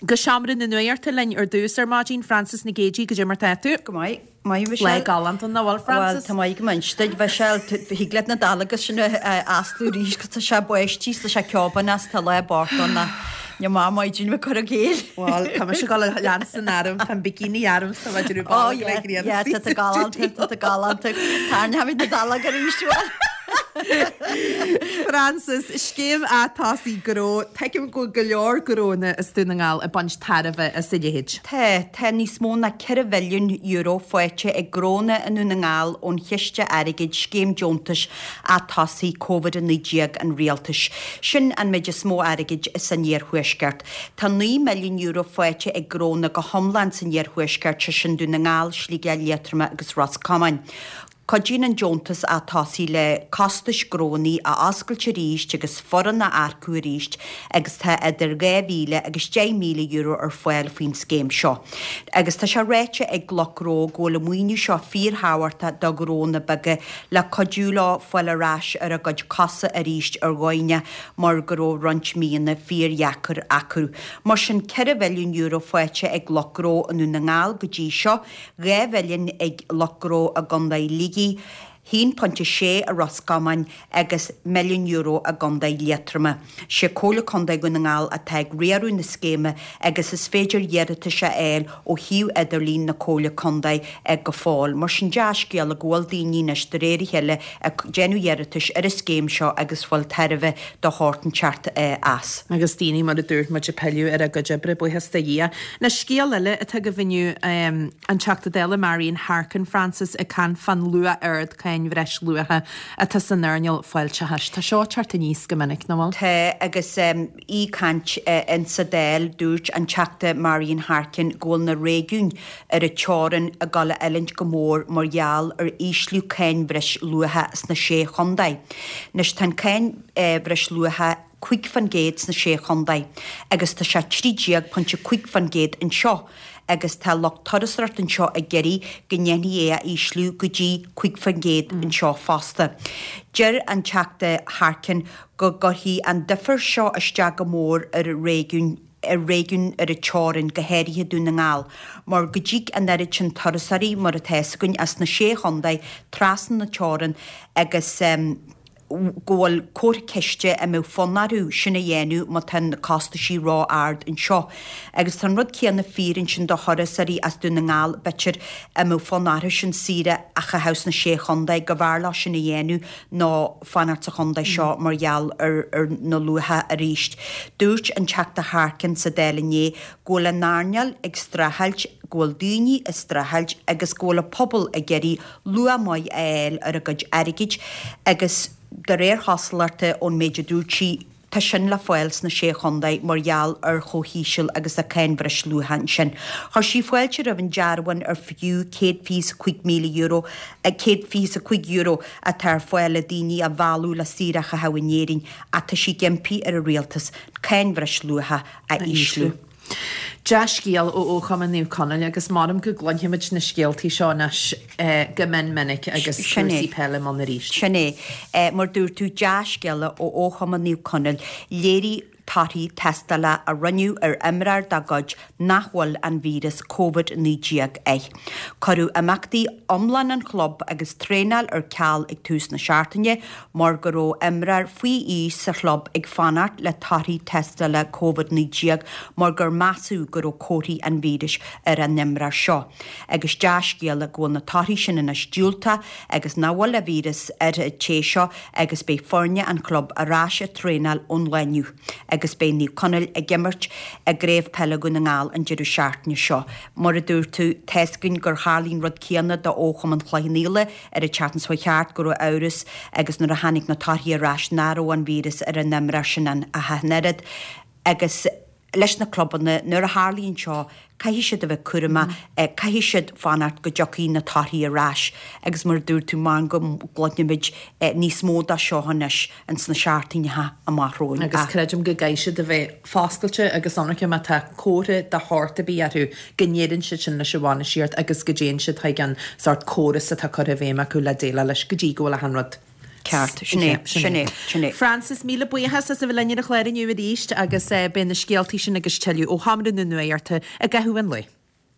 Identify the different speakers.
Speaker 1: Go seomra na nuachta linn ar dtús ar maidin, Frances Nic Géadaigh, goidé mar tá tú?
Speaker 2: Go maith, maith Michelle.
Speaker 1: Lá galánta, nach bhfuil, Frances?
Speaker 2: Bhuel, tá maith go maith duit, Michelle. Thig leat na dálagus sin a astú arís, 'cause tá sé báistí, tá sé ceoban as, tá lá bocht ann ach ní maith maidin bheith cur i gcéill.
Speaker 1: Bhuel, tá mise ag dul a leanstan orm, tá an bikini orm, tá mé ag déanamh
Speaker 2: Oh yeah, yeah, tá tú galánta, tá tú galánta. Tarraingeoimid na dálaga arís, bhuel.
Speaker 1: Frances, Scéim Atosaigh Gnó, tuigim go bhfuil go leor gnónna as Dún na nGall ag baint tairbhe as a leithéid.
Speaker 2: Tá, tá níos mó ná €4 mhilliún faighte ag gnónna i nDún na nGall ón chiste airgid Scéim Deontais Atosaigh Covid-19 an Rialtais. Sin an méid is mó airgid san iarthuaisceart. Tá €9 milliún faighte ag gnónna go hiomlán san iarthuaisceart, sé sin Dún na nGall, Sligeach, Liatroma agus Ros Comáin. Cuidíonn an deontas atosaigh le costais gnónnaí a oscailt arís agus foireann a earcú arís agus tá idir €2,000 agus €10,000 ar fáil faoin scéim seo. Agus tá sé ráite ag lucht gnó go bhfuil an maoiniú seo fíorthábhachtach do ghnónna beaga le cuidiú leo fáil ar ais ar a gcuid cosa arís ar dhóigheanna mar go raibh roinnt míonna fíordheacair acu. Mar sin €4 mhilliún faighte ag lucht gnó i nDún na nGall go dtí seo 2 mhilliún ag lucht gnó i gContae Shligigh, 1.6 i Ros Comáin agus €1 milliún i gContae Liatroma. Sé Comhairle Contae Dhún na nGall atá ag riaradh na scéime agus is féidir iarratais a fháil ó shuíomh idirlín na Comhairle Contae go fóill. Mar sin dea-scéala go bhfuil daoine anois de réir a chéile ag déanamh iarratais ar an scéim seo agus fáil tairbhe de shórt inteacht as.
Speaker 1: Agus daoine, mar a dúirt muid, ag pilleadh ar a gcuid oibre, buíochas do Dhia. Anois, scéal eile atá agaibh inniu, an Teachta Dála Marian Harkin Frances ag caint fán luach ard cáin bhreisluacha atá san earnáil fáilteachais. Tá seo ag teacht aníos go minic, nach bhfuil?
Speaker 2: Tá, agus í ag caint insa Dáil, dúirt an Teachta Marian Harkin go bhfuil na réigiúin ar an teorainn ag dul a fhulaingt go mór mar gheall ar ísliú cáin bhreisluacha sna Sé Chontae. Anois tá an cáin bhreisluacha 5% sna Sé Chontae agus tá sé 13.5% anseo agus tá lucht turasóireachta anseo ag iarraidh go ndéanfaí é a ísliú go dtí 5% anseo fosta. Deir an Teachta Harkin go gcuirfidh an difear seo isteach go mór ar réigiúin ar réigiúin ar an teorainn, go háirithe Dún na nGall, mar go dtig an oiread sin turasóirí, mar atá fhios againn, as na Sé Chontae trasna na teorann agus go bhfuil comhartha ceiste an mbeadh fonn orthu sin a dhéanamh má tá na costaisí ró-ard anseo. Agus tá an rud céanna fíor ansin do thurasóirí as Dún na nGall, b'fhéidir, an mbeadh fonn orthu sin saoire a chaitheamh sna Sé Chontae, go mb'fhearr leo sin a dhéanamh ná fanacht sa chontae seo mar gheall ar na luacha arís. Dúirt an Teachta Harkin sa Dáil inné go bhfuil an earnáil ag streachailt, go bhfuil daoine ag streachailt agus go bhfuil an pobal ag iarraidh luach maith a fháil ar a gcuid airgid agus de réir chosúlachta ón méid a dúirt sí, Tá sin le fáil sna Sé Chontae mar gheall ar chomh híseal agus tá cáin bhreisluacha ansin. Chuir sí fáilte roimh an dearbhán ar fiú €125,000, €125 atá ar fáil le daoine a mhealladh le saoire a chaitheamh in Éirinn ach tá sí ag impí ar an rialtas cáin bhreisluacha a ísliú.
Speaker 1: Dea-scéal ó Chumann Naomh Conaill agus measaim go gcluinfimid na scéaltaí seo anois go mion minic agus cúrsaí peile i mbun arís.
Speaker 2: Sin é. Mar dúirt tú, dea-scéala ó Chumann Naomh Conaill. Léirigh torthaí tástála a rinneadh ar imreoir dá gcuid nach bhfuil an víreas Covid-19 air. Cuireadh imeachtaí iomlán an chlub agus traenáil ar ceal ag tús na seachtaine mar go raibh imreoir faoi aois sa chlub ag fanacht le torthaí tástála Covid-19 mar gur measadh go raibh comharthaí an víris ar an imreoir seo. Agus dea-scéala go bhfuil na torthaí sin anois diúltach agus nach bhfuil an víreas ar an té seo agus beidh foirne an chlub ar ais ag traenáil ón lá inniu agus beidh Naomh Conaill ag imirt i gCraobh Peile Dhún na nGall an deireadh seachtaine seo. Mar a dúirt tú, tá's againn gur tharlaigh an rud céanna do Chumann Chloich Cheann Fhaola ar an tseachtain seo thart, go raibh amhras agus nuair a tháinig na torthaí ar ais nach raibh an víreas ar an imreoir sin ach an oiread. Agus leis na clubanna, nuair a tharlaíonn seo, caithfidh siad a bheith cúramach, caithfidh siad fanacht go dtiocfaidh na torthaí ar ais agus mar a dúirt tú, measaim go gcluinfimid níos mó de seo anois ins na seachtaineacha amach romhainn.
Speaker 1: Agus creidim go gcaithfidh siad a bheith foscailte agus ionraice má tá comhartha de shórt ar bith orthu, go ndeireann siad sin leis an bhainistíocht agus go dtéann siad chuig an sórt córas atá curtha i bhfeidhm acu le déileáil leis go dtí go bhfuil achan rud.
Speaker 2: Ceart, sin é, sin é, sin é.
Speaker 1: Frances, míle buíochas as a bheith linn ar an chlár inniu arís agus beidh na scéaltaí sin agus tuilleadh ó Sheomra na Nuachta i gcaitheamh an lae.